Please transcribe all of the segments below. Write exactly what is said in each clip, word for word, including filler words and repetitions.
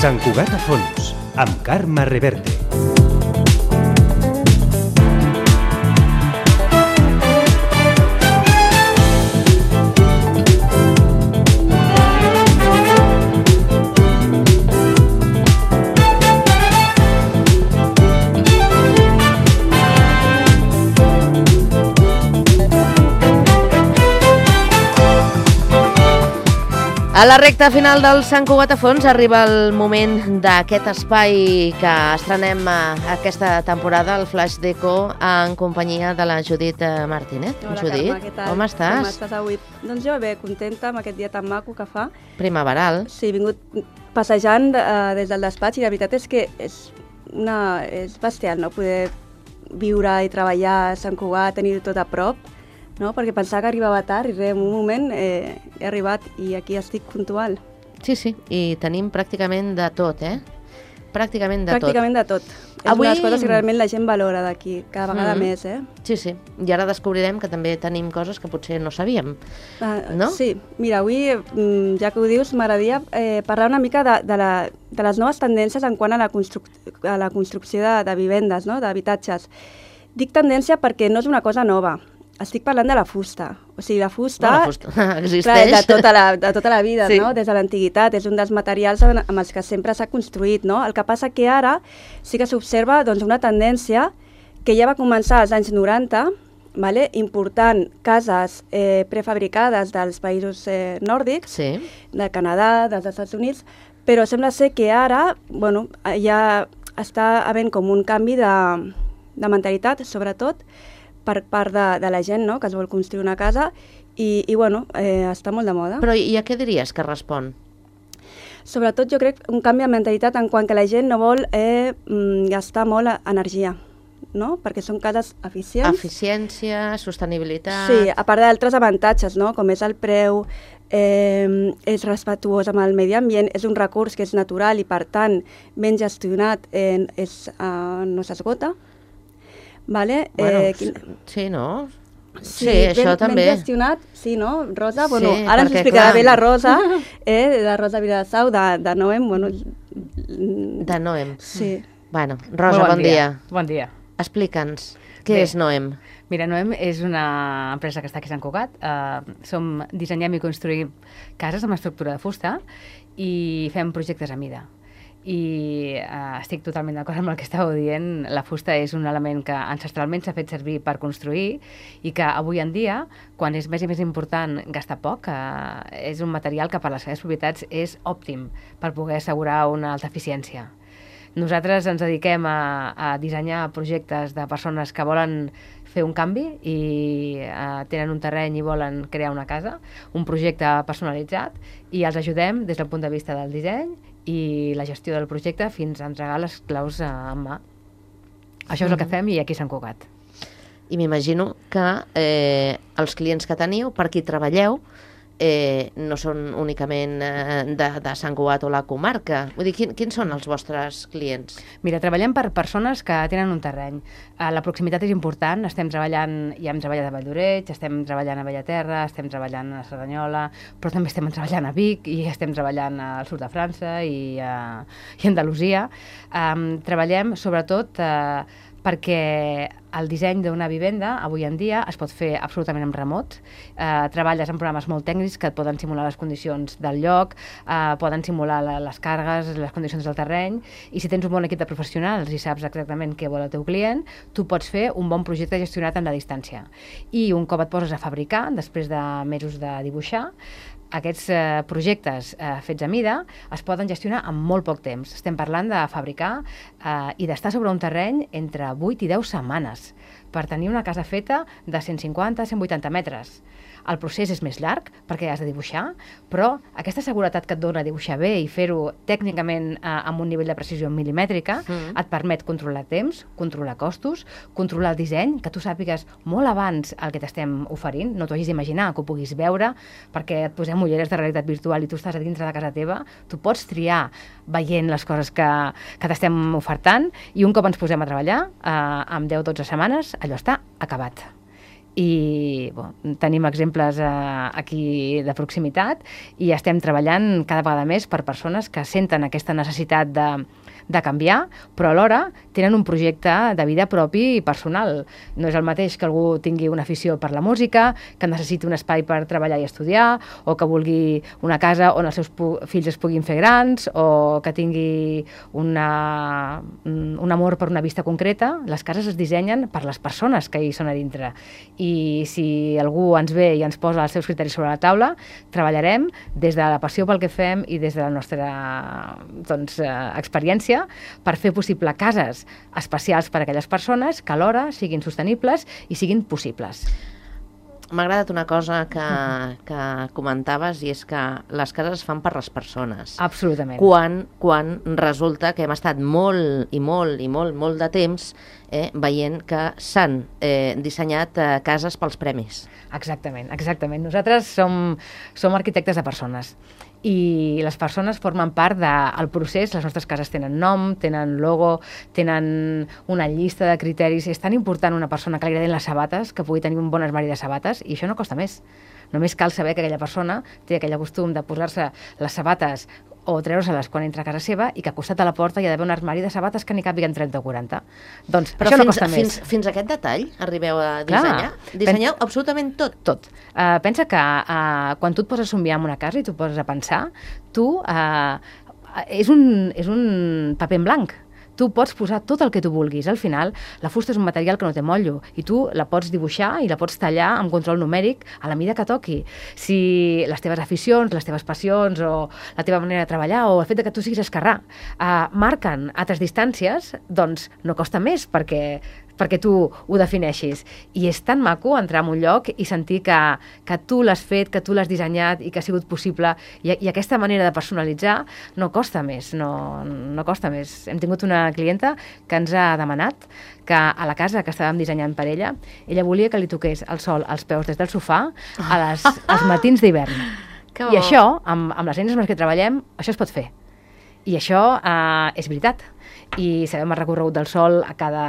Sant Cugat a fons, amb Carme Reverte. A la recta final del Sant Cugat a fons arriba el moment d'aquest espai que estrenem aquesta temporada, el Flash Deco, en companyia de la Judit Martínez. Hola, Judit, Carme, què tal? com estàs? Com estàs avui? Doncs jo bé, contenta amb aquest dia tan maco que fa. Primaveral. Sí, he vingut passejant uh, des del despatx i la veritat és que és, una, és bestial, no? Poder viure i treballar a Sant Cugat, tenir tot a prop, no? Perquè pensava que arribava tard i res, en un moment eh, he arribat i aquí estic puntual. Sí, sí, i tenim pràcticament de tot, eh? Pràcticament de Pràcticament tot. de tot. És Avui... una de les coses que realment la gent valora d'aquí, cada vegada Mm. més, eh? Sí, sí, i ara descobrirem que també tenim coses que potser no sabíem, Uh, no? Sí, mira, avui, mm, ja que ho dius, m'agradaria eh, parlar una mica de, de, la, de les noves tendències en quant a la, construc a la construcció de, de vivendes, no? d'habitatges. Dic tendència perquè no és una cosa nova. Estic parlant de la fusta. O sigui, la fusta, No, la fusta existeix. clar, de, tota la, de tota la vida, Sí. no? Des de l'antiguitat, és un dels materials amb, amb els que sempre s'ha construït. No? El que passa que ara sí que s'observa doncs, una tendència que ja va començar als anys noranta, vale? important cases eh, prefabricades dels països eh, nòrdics, Sí. del Canadà, dels Estats Units, però sembla ser que ara bueno, ja està havent com un canvi de, de mentalitat, sobretot, per part de, de la gent, no?, que es vol construir una casa i, i bueno, eh, està molt de moda. Però i a què diries que respon? Sobretot jo crec un canvi de mentalitat en quant que la gent no vol eh, mm, gastar molt energia, no?, perquè són cases eficients. Eficiència, sostenibilitat... Sí, a part d'altres avantatges, no?, com és el preu, eh, és respectuós amb el medi ambient, és un recurs que és natural i per tant ben gestionat, eh, és, eh, no s'esgota. Vale? Bueno, eh, quin... sí, no? Sí, Sí, això ben, també. Ben gestionat, sí, no? Rosa, Sí, bueno, ara ens perquè, explicarà clar. bé la Rosa, eh, la Rosa Viladasau, de, de Noem, bueno... De Noem. Sí. Bueno, Rosa, Molt bon dia. Bon dia. Explica'ns, què Bé. és Noem? Mira, Noem és una empresa que està aquí a Sant Cugat. Uh, som, dissenyem i construïm cases amb estructura de fusta i fem projectes a mida. I uh, estic totalment d'acord amb el que estàveu dient. La fusta és un element que ancestralment s'ha fet servir per construir i que avui en dia, quan és més i més important gastar poc, uh, és un material que per les seves propietats és òptim per poder assegurar una alta eficiència. Nosaltres ens dediquem a, a dissenyar projectes de persones que volen fer un canvi i uh, tenen un terreny i volen crear una casa, un projecte personalitzat, i els ajudem des del punt de vista del disseny i la gestió del projecte fins a entregar les claus uh, en mà. Això és el que fem i aquí a Sant Cugat. I m'imagino que eh, els clients que teniu, per qui treballeu, eh, no són únicament eh, de, de Sant Cugat o la comarca. Vull dir, quin, quins són els vostres clients? Mira, treballem per persones que tenen un terreny. Uh, la proximitat és important, estem treballant, ja hem treballat a Valldoreix, estem treballant a Bellaterra, estem treballant a Cerdanyola, però també estem treballant a Vic i estem treballant al sud de França i, uh, i a Andalusia. Um, treballem sobretot uh, perquè el disseny d'una vivenda avui en dia es pot fer absolutament en remot. Eh, treballes en programes molt tècnics que et poden simular les condicions del lloc, eh, poden simular la, les càrregues, les condicions del terreny, i si tens un bon equip de professionals i saps exactament què vol el teu client, tu pots fer un bon projecte gestionat en la distància. I un cop et poses a fabricar, després de mesos de dibuixar, aquests eh, projectes eh, fets a mida es poden gestionar en molt poc temps. Estem parlant de fabricar eh, i d'estar sobre un terreny entre vuit i deu setmanes per tenir una casa feta de cent cinquanta a cent vuitanta metres. El procés és més llarg perquè has de dibuixar, però aquesta seguretat que et dona dibuixar bé i fer-ho tècnicament eh, amb un nivell de precisió milimètrica mm. et permet controlar temps, controlar costos, controlar el disseny, que tu sàpigues molt abans el que t'estem oferint, no t'ho hagis d'imaginar, que ho puguis veure, perquè et posem amb ulleres de realitat virtual i tu estàs a dintre de casa teva, tu pots triar veient les coses que, que t'estem ofertant i un cop ens posem a treballar, eh, amb deu o dotze setmanes, allò està acabat. I bon, tenim exemples eh, aquí de proximitat i estem treballant cada vegada més per persones que senten aquesta necessitat de, de canviar, però alhora tenen un projecte de vida propi i personal. No és el mateix que algú tingui una afició per la música, que necessiti un espai per treballar i estudiar, o que vulgui una casa on els seus fills es puguin fer grans, o que tingui una, un amor per una vista concreta. Les cases es dissenyen per les persones que hi són a dintre. I si algú ens ve i ens posa els seus criteris sobre la taula, treballarem des de la passió pel que fem i des de la nostra doncs, experiència per fer possible cases especials per a aquelles persones que alhora siguin sostenibles i siguin possibles. M'ha agradat una cosa que, que comentaves i és que les cases es fan per les persones. Absolutament. Quan, quan resulta que hem estat molt i molt i molt, molt de temps eh, veient que s'han eh, dissenyat eh, cases pels premis. Exactament, exactament. Nosaltres som, som arquitectes de persones i les persones formen part del procés. Les nostres cases tenen nom, tenen logo, tenen una llista de criteris. És tan important una persona que li agradin les sabates, que pugui tenir un bon armari de sabates, i això no costa més. Només cal saber que aquella persona té aquell costum de posar-se les sabates o treure-se-les quan entra a casa seva i que al costat de la porta hi ha d'haver un armari de sabates que n'hi càpiguen trenta o quaranta. Doncs però això fins, no costa fins, més. Fins a aquest detall arribeu a dissenyar? Clar, Dissenyeu pen... absolutament tot? Tot. Uh, pensa que uh, quan tu et poses a somiar en una casa i tu poses a pensar, tu uh, és, un, és un paper en blanc. Tu pots posar tot el que tu vulguis. Al final, la fusta és un material que no té motllo i tu la pots dibuixar i la pots tallar amb control numèric a la mida que toqui. Si les teves aficions, les teves passions o la teva manera de treballar o el fet que tu siguis esquerrà eh, marquen altres distàncies, doncs no costa més perquè perquè tu ho defineixis. I és tan maco entrar en un lloc i sentir que, que tu l'has fet, que tu l'has dissenyat i que ha sigut possible. I, i aquesta manera de personalitzar no costa més, no, no costa més. Hem tingut una clienta que ens ha demanat que a la casa que estàvem dissenyant per ella, ella volia que li toqués el sol als peus des del sofà a les, als matins d'hivern. I això, amb, amb les eines amb les que treballem, això es pot fer. I això eh, és veritat. I sabem el recorregut del sol a cada,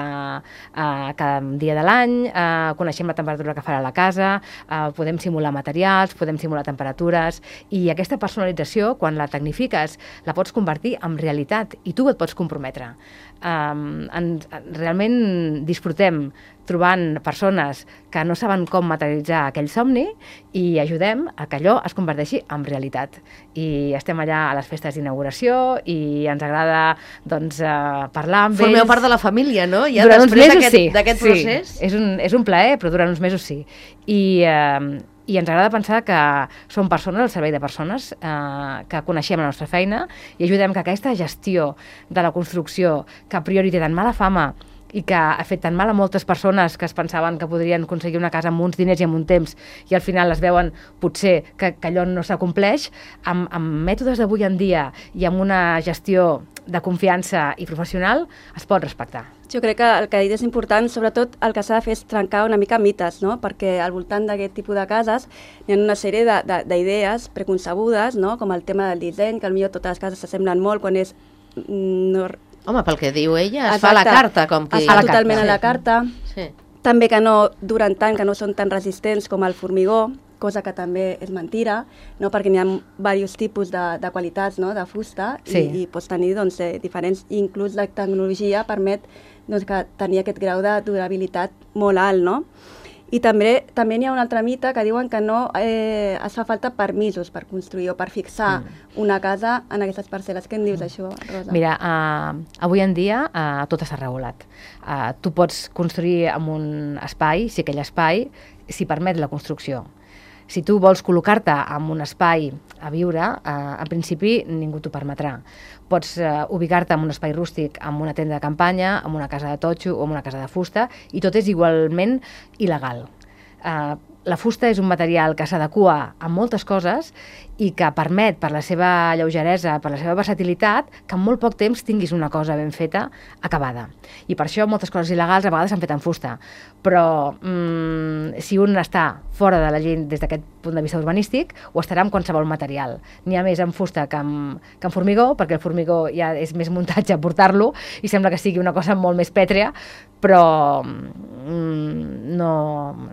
a cada dia de l'any, eh, coneixem la temperatura que farà la casa, eh, podem simular materials, podem simular temperatures, i aquesta personalització, quan la tecnifiques, la pots convertir en realitat i tu et pots comprometre. Um, en, realment disfrutem trobant persones que no saben com materialitzar aquell somni i ajudem a que allò es converteixi en realitat. I estem allà a les festes d'inauguració i ens agrada doncs, uh, parlar amb Formeu ells. Formeu part de la família, no? Ja durant uns mesos sí, d'aquest sí. procés. És un, és un plaer, però durant uns mesos sí. I... Uh, I ens agrada pensar que som persones al servei de persones, eh, que coneixem la nostra feina i ajudem que aquesta gestió de la construcció, que a priori té tan mala fama i que ha fet tan mal a moltes persones que es pensaven que podrien aconseguir una casa amb uns diners i amb un temps i al final es veuen potser que, que allò no s'acompleix, amb, amb mètodes d'avui en dia i amb una gestió de confiança i professional es pot respectar. Jo crec que el que ha dit és important, sobretot el que s'ha de fer és trencar una mica mites, no? Perquè al voltant d'aquest tipus de cases hi ha una sèrie d'idees preconcebudes, no? Com el tema del disseny, que potser totes les cases s'assemblen molt quan és... No... Home, pel que diu ella, es Exacte. fa a la carta, com que... Es fa totalment a la carta. Sí. També que no duren tant, que no són tan resistents com el formigó, cosa que també és mentira, no? Perquè n'hi ha diversos tipus de, de qualitats, no? De fusta, sí. i, i pots tenir doncs, eh, diferents, inclús la tecnologia permet doncs, que tenir aquest grau de durabilitat molt alt, no? I també també n'hi ha un altre mite que diuen que no eh, es fa falta permisos per construir o per fixar mm. una casa en aquestes parcel·les. Què en dius, això, Rosa? Mira, uh, avui en dia uh, tot està regulat. Uh, tu pots construir en un espai, si aquell espai s'hi permet la construcció. Si tu vols col·locar-te en un espai a viure, eh, en principi ningú t'ho permetrà. Pots eh, ubicar-te en un espai rústic, en una tenda de campanya, en una casa de totxo o en una casa de fusta, i tot és igualment il·legal. Eh, la fusta és un material que s'adequa a moltes coses i que permet, per la seva lleugeresa, per la seva versatilitat, que en molt poc temps tinguis una cosa ben feta, acabada. I per això moltes coses il·legals a vegades s'han fet en fusta. Però mmm, si un està fora de la llei des d'aquest punt de vista urbanístic, ho estarà amb qualsevol material. N'hi ha més en fusta que en, que en formigó, perquè el formigó ja és més muntatge portar-lo i sembla que sigui una cosa molt més pètrea, però mmm, no...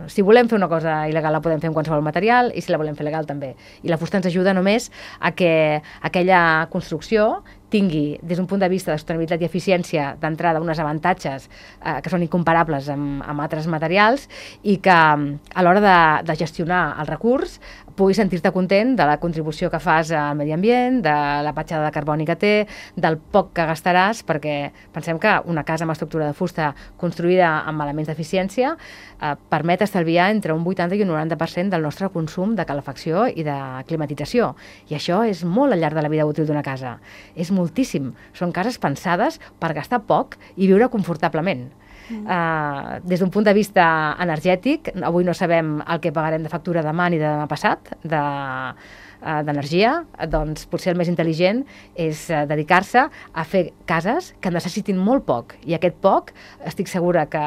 si volem fer una cosa il·legal la podem fer amb qualsevol material i si la volem fer legal també. I la fusta ens ajuda només a que aquella construcció tingui, des d'un punt de vista de sostenibilitat i eficiència, d'entrada uns avantatges eh, que són incomparables amb, amb altres materials i que a l'hora de, de gestionar el recurs puguis sentir-te content de la contribució que fas al medi ambient, de la petjada de carboni que té, del poc que gastaràs, perquè pensem que una casa amb estructura de fusta construïda amb elements d'eficiència eh, permet estalviar entre un vuitanta i un noranta per cent del nostre consum de calefacció i de climatització. I això és molt al llarg de la vida útil d'una casa. És moltíssim. Són cases pensades per gastar poc i viure confortablement. Mm. Uh, des d'un punt de vista energètic, avui no sabem el que pagarem de factura demà ni de demà passat, de, uh, d'energia, doncs potser el més intel·ligent és uh, dedicar-se a fer cases que necessitin molt poc. I aquest poc, estic segura que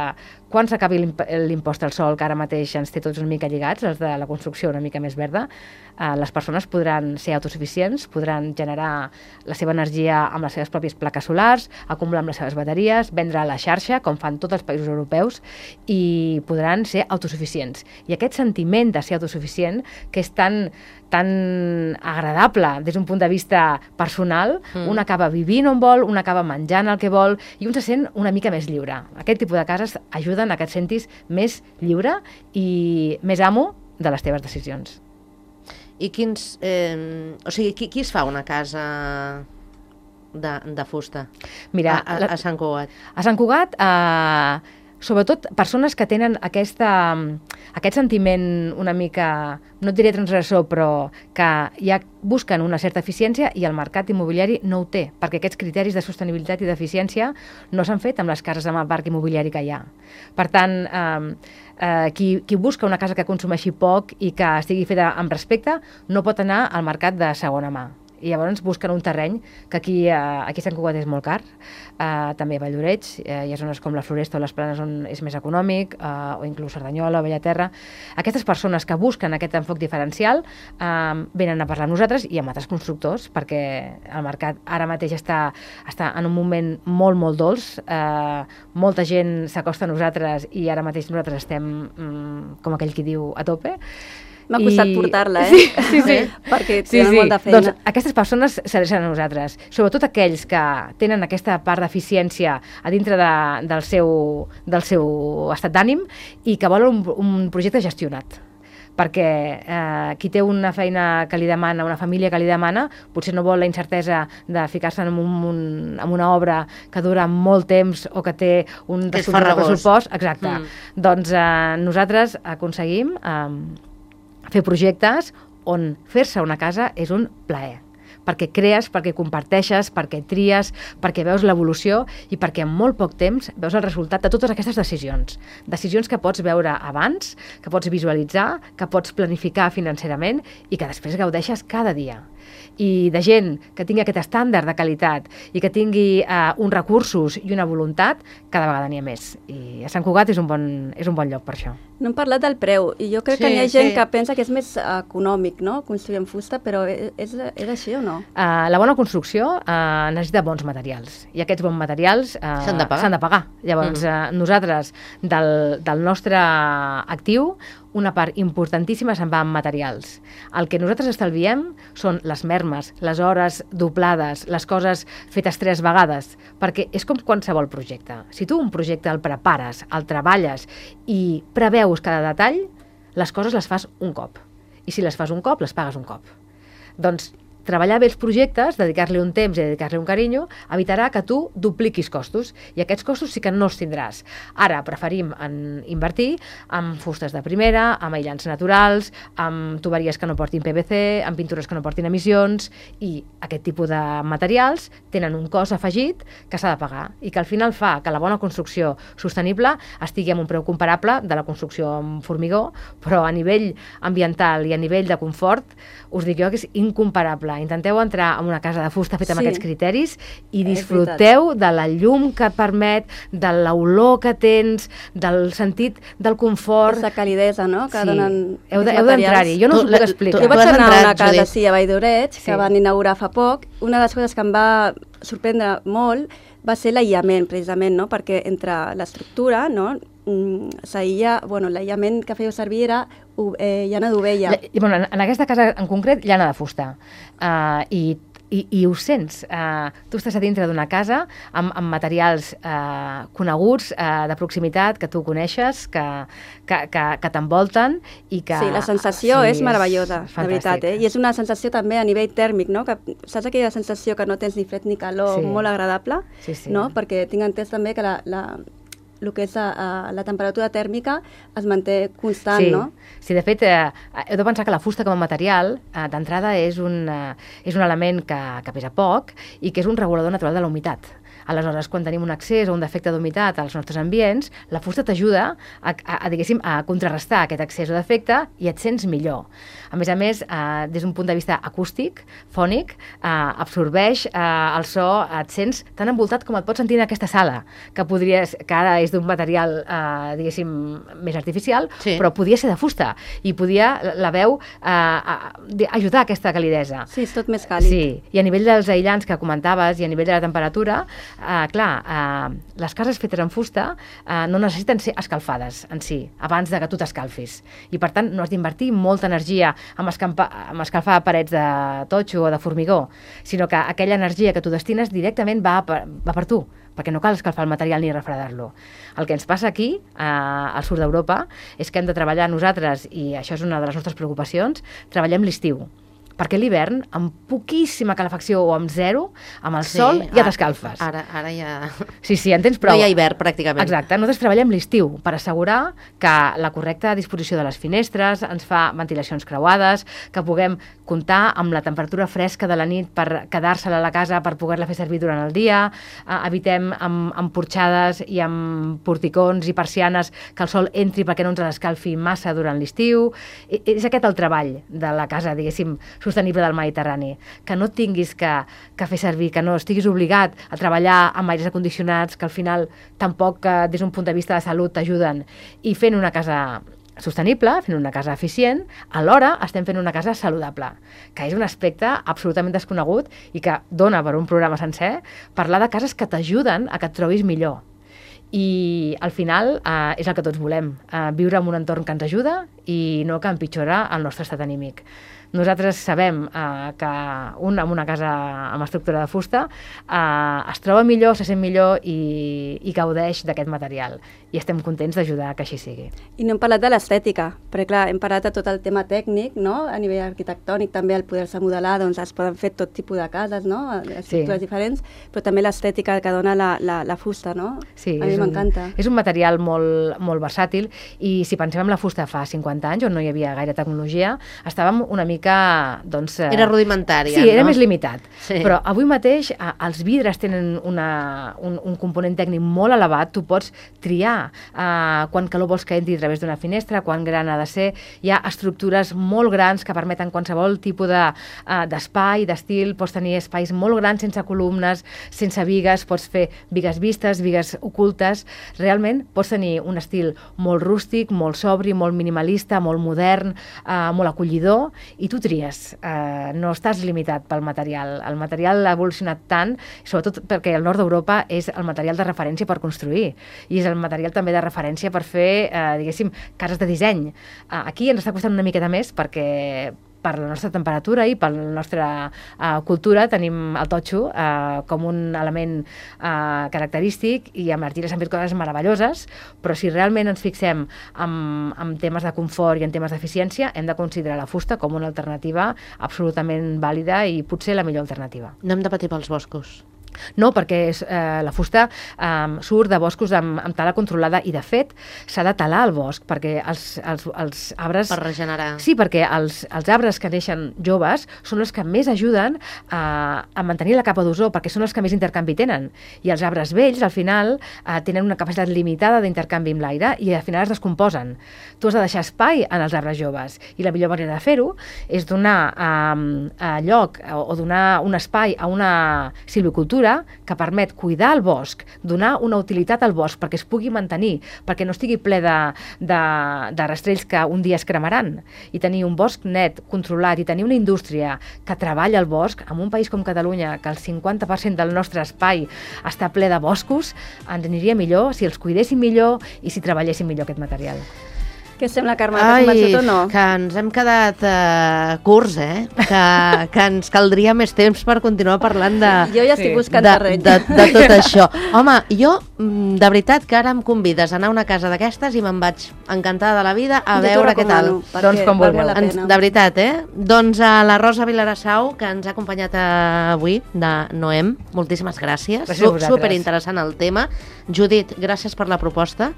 quan s'acabi l'impost al sol, que ara mateix ens té tots una mica lligats, els de la construcció una mica més verda, eh, les persones podran ser autosuficients, podran generar la seva energia amb les seves pròpies plaques solars, acumular amb les seves bateries, vendre a la xarxa, com fan tots els països europeus, i podran ser autosuficients. I aquest sentiment de ser autosuficient, que és tan, tan agradable des d'un punt de vista personal, mm. un acaba vivint on vol, un acaba menjant el que vol, i un se sent una mica més lliure. Aquest tipus de cases ajuden a que et sentis més lliure i més amo de les teves decisions. I quins... Eh, o sigui, qui, qui es fa una casa de, de fusta Mira, a, a, a Sant Cugat? A Sant Cugat, eh, sobretot persones que tenen aquesta, aquest sentiment una mica, no et diré transgressor, però que ja busquen una certa eficiència i el mercat immobiliari no ho té, perquè aquests criteris de sostenibilitat i d'eficiència no s'han fet amb les cases amb el parc immobiliari que hi ha. Per tant, eh, eh, qui, qui busca una casa que consumeixi poc i que estigui feta amb respecte no pot anar al mercat de segona mà. I llavors busquen un terreny que aquí, eh, aquí a Sant Cugat és molt car, eh, també a Vall-d'Oreig, eh, hi ha zones com la Floresta o les Planes on és més econòmic, eh, o inclús Cerdanyola o Bellaterra. Aquestes persones que busquen aquest enfoc diferencial eh, venen a parlar amb nosaltres i amb altres constructors, perquè el mercat ara mateix està, està en un moment molt, molt dolç, eh, molta gent s'acosta a nosaltres i ara mateix nosaltres estem, mm, com aquell qui diu, a tope. M'ha costat I... portar-la, eh? Sí, sí, sí. Perquè sí, tenen sí. molta feina. Doncs aquestes persones s'adrecen a nosaltres, sobretot aquells que tenen aquesta part d'eficiència a dintre de, del, seu, del seu estat d'ànim i que volen un, un projecte gestionat. Perquè eh, qui té una feina que li demana, una família que li demana, potser no vol la incertesa de ficar-se en, un, un, en una obra que dura molt temps o que té un pressupost. Exacte. Mm. Doncs eh, nosaltres aconseguim eh, fer projectes on fer-se una casa és un plaer, perquè crees, perquè comparteixes, perquè tries, perquè veus l'evolució i perquè en molt poc temps veus el resultat de totes aquestes decisions. Decisions que pots veure abans, que pots visualitzar, que pots planificar financerament i que després gaudeixes cada dia. I de gent que tingui aquest estàndard de qualitat i que tingui eh, uns recursos i una voluntat, cada vegada n'hi ha més. I a Sant Cugat és un bon, és un bon lloc per això. No hem parlat del preu, i jo crec sí, que hi ha gent sí. que pensa que és més econòmic, no?, construir en fusta, però és, és així o no? Uh, la bona construcció uh, necessita bons materials, i aquests bons materials uh, s'han de pagar. S'han de pagar. Llavors, mm. uh, nosaltres, del, del nostre actiu, una part importantíssima se'n va en materials. El que nosaltres estalviem són les mermes, les hores doblades, les coses fetes tres vegades, perquè és com qualsevol projecte. Si tu un projecte el prepares, el treballes i preveus cada detall, les coses les fas un cop. I si les fas un cop, les pagues un cop. Doncs treballar bé els projectes, dedicar-li un temps i dedicar-li un carinyo, evitarà que tu dupliquis costos, i aquests costos sí que no els tindràs. Ara preferim en invertir en fustes de primera, amb aïllants naturals, amb tuberies que no portin P V C, amb pintures que no portin emissions, i aquest tipus de materials tenen un cost afegit que s'ha de pagar i que al final fa que la bona construcció sostenible estigui amb un preu comparable de la construcció amb formigó, però a nivell ambiental i a nivell de confort, us dic jo que és incomparable. Intenteu entrar en una casa de fusta feta amb Sí. aquests criteris i disfruteu de la llum que et permet, de l'olor que tens, del sentit del confort. Aquesta calidesa, no?, que Sí. donen Heu de- aquests heu d'entrar-hi. Jo no us ho Tu- puc la- explicar. tu- Jo vaig has anar a entrat, una casa, Judit? sí, a Valldoreig, que Sí. van inaugurar fa poc. Una de les coses que em va sorprendre molt va ser l'aïllament, precisament, no?, perquè entre l'estructura, no?, mm, s'aïlla, bueno, l'aïllament que fèieu servir era u- eh, llana d'ovella. Lla- Bueno, en, en aquesta casa en concret llana de fusta. Uh, i, i, I ho sents. Uh, tu estàs a dintre d'una casa amb, amb materials uh, coneguts, uh, de proximitat, que tu coneixes, que, que, que, que t'envolten i que... Sí, la sensació sí, és meravellosa, és de veritat, eh? I és una sensació també a nivell tèrmic, no?, que saps aquella sensació que no tens ni fred ni calor, Sí. molt agradable, Sí, sí. no?, perquè tinc entès també que la, la, el que és a, a, la temperatura tèrmica es manté constant, sí. no? Sí, de fet, eh, heu de pensar que la fusta com a material, eh, d'entrada, és, un, eh, és un element que, que pesa poc i que és un regulador natural de la humitat. Aleshores, quan tenim un excés o un defecte d'humitat als nostres ambients, la fusta t'ajuda a, a, a, diguéssim, a contrarrestar aquest excés o defecte i et sents millor. A més a més, eh, des d'un punt de vista acústic, fònic, eh, absorbeix eh, el so, et sents tan envoltat com et pots sentir en aquesta sala, que podries, que ara és d'un material, eh, diguéssim, més artificial, Sí. però podia ser de fusta i podia, la, la veu, eh, a, a, ajudar a aquesta calidesa. Sí, és tot més càlid. Sí, i a nivell dels aïllants que comentaves i a nivell de la temperatura, eh, clar, eh, les cases fetes en fusta eh, no necessiten ser escalfades en si, abans de que tu t'escalfis. I per tant no has d'invertir molta energia en, escampa, en escalfar parets de totxo o de formigó, sinó que aquella energia que tu destines directament va per, va per tu, perquè no cal escalfar el material ni refredar-lo. El que ens passa aquí, eh, al sud d'Europa, és que hem de treballar nosaltres, i això és una de les nostres preocupacions, treballem l'estiu. Perquè l'hivern, amb poquíssima calefacció o amb zero, amb el Sí, sol ja ara- t'escalfes. Ara, ara ja... Sí, sí, en tens prou. No hi ha hivern, pràcticament. Exacte, nosaltres treballem l'estiu per assegurar que la correcta disposició de les finestres ens fa ventilacions creuades, que puguem comptar amb la temperatura fresca de la nit per quedar-se-la a la casa per poder-la fer servir durant el dia, eh, evitem amb, amb porxades i amb porticons i persianes que el sol entri perquè no ens l'escalfi massa durant l'estiu. I, és aquest el treball de la casa, diguéssim, sostenible del Mediterrani, que no tinguis que, que fer servir, que no estiguis obligat a treballar amb aires acondicionats que al final tampoc eh, des d'un punt de vista de salut t'ajuden, i fent una casa sostenible, fent una casa eficient, alhora estem fent una casa saludable, que és un aspecte absolutament desconegut i que dona per un programa sencer parlar de cases que t'ajuden a que et trobis millor. I al final eh, és el que tots volem, eh, viure en un entorn que ens ajuda i no que empitjora el nostre estat anímic. Nosaltres sabem eh, que un amb una casa amb estructura de fusta eh, es troba millor, se sent millor i, i gaudeix d'aquest material. I estem contents d'ajudar que així sigui. I no hem parlat de l'estètica, perquè clar, hem parlat de tot el tema tècnic, no?, a nivell arquitectònic també, al poder-se modelar, doncs es poden fer tot tipus de cases, no?, estructures Sí. diferents, però també l'estètica que dona la, la, la fusta, no? Sí, a mi és un- m'encanta. És un material molt, molt versàtil i si pensem en la fusta fa cinquanta anys, on no hi havia gaire tecnologia, estàvem una mica, doncs... eh, Era rudimentària, Sí, era no? més limitat. Sí. Però avui mateix eh, els vidres tenen una, un, un component tècnic molt elevat, tu pots triar eh, quan calor vols que entri a través d'una finestra, quan gran ha de ser, hi ha estructures molt grans que permeten qualsevol tipus de, eh, d'espai, d'estil, pots tenir espais molt grans sense columnes, sense vigues, pots fer vigues vistes, vigues ocultes, realment pots tenir un estil molt rústic, molt sobri, molt minimalista, molt modern, eh, molt acollidor, i tu tries, eh, no estàs limitat pel material. El material ha evolucionat tant, sobretot perquè el nord d'Europa és el material de referència per construir, i és el material també de referència per fer, eh, diguéssim, cases de disseny. Eh, aquí ens està costant una miqueta més perquè per la nostra temperatura i per la nostra uh, cultura tenim el totxo uh, com un element uh, característic i amb l'argila s'han fet coses meravelloses, però si realment ens fixem en, en temes de confort i en temes d'eficiència, hem de considerar la fusta com una alternativa absolutament vàlida i potser la millor alternativa. No hem de patir pels boscos. No, perquè és, eh, la fusta eh, surt de boscos amb, amb tala controlada i, de fet, s'ha de talar el bosc perquè els, els, els arbres... Per regenerar. Sí, perquè els, els arbres que neixen joves són els que més ajuden a, a mantenir la capa d'ozó, perquè són els que més intercanvi tenen. I els arbres vells, al final, eh, tenen una capacitat limitada d'intercanvi amb l'aire i, al final, es descomposen. Tu has de deixar espai en els arbres joves i la millor manera de fer-ho és donar eh, eh, lloc o, o donar un espai a una silvicultura que permet cuidar el bosc, donar una utilitat al bosc perquè es pugui mantenir, perquè no estigui ple de, de, de rastrells que un dia es cremaran, i tenir un bosc net, controlat, i tenir una indústria que treballa el bosc, en un país com Catalunya, que el cinquanta per cent del nostre espai està ple de boscos, ens aniria millor si els cuidéssim millor i si treballéssim millor aquest material. Què sembla, Carme? T'has convençut o no? Que ens hem quedat uh, curts, eh? Que, que ens caldria més temps per continuar parlant de... Jo ja estic Sí. buscant de, terreny. de, de tot això. Home, jo, mm, de veritat, que ara em convides a anar a una casa d'aquestes i me'n vaig encantada de la vida a Jo t'ho veure què tal. recomano, perquè Doncs com val vulgueu. molt la Ens, pena. de veritat, eh? Doncs a la Rosa Vilarassau, que ens ha acompanyat avui, de Noem, moltíssimes gràcies. Gràcies a vosaltres. Superinteressant el tema. Judit, gràcies per la proposta.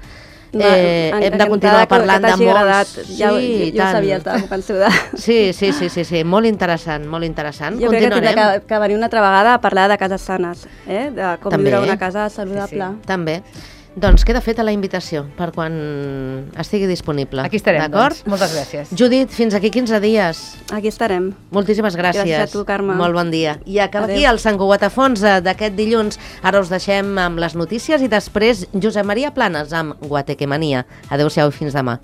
Va, Eh, en- hem de continuar encantada que- parlant que de t'hagi molts... agradat. Ja, sí, jo, i jo ho tant. sabia, estava convençuda. Sí, sí, sí, sí, sí, molt interessant, molt interessant. Jo crec que tindrà Continuarem. que, que venir una altra vegada a parlar de cases sanes, eh? de com També. viure una casa saludable. Sí, També. Doncs queda feta la invitació per quan estigui disponible. Aquí estarem, D'acord? doncs. Moltes gràcies. Judit, fins aquí quinze dies. Aquí estarem. Moltíssimes gràcies. Gràcies a tu, Carme. Molt bon dia. I acaba Adéu. aquí el Sant Cugat a fons eh, d'aquest dilluns. Ara us deixem amb les notícies i després Josep Maria Planes amb Guatequemania. Adéu-siau i fins demà.